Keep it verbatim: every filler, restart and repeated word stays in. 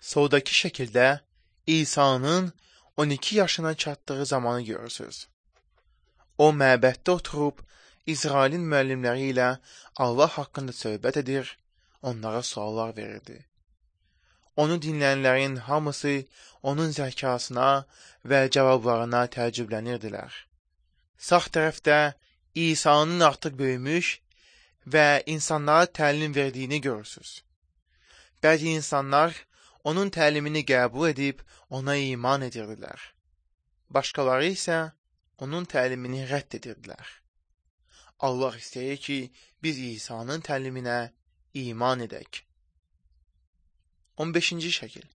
Soldakı şəkildə İsa'nın on iki yaşına çatdığı zamanı görürsünüz. O, məbəddə oturub, İsrailin müəllimləri ilə Allah haqqında söhbət edir, onlara suallar verirdi. Onu dinləyənlərin hamısı onun zəkasına və cavablarına təəccüblənirdilər. Sağ tərəfdə İsa'nın artıq böyümüş və insanlara təlim verdiyini görürsünüz. Bəzi insanlar onun təlimini qəbul edib ona iman edirdilər. Başqaları isə onun təlimini rədd edirdilər. Allah istəyir ki, biz İsa'nın təliminə iman edək. on beşinci şəkil.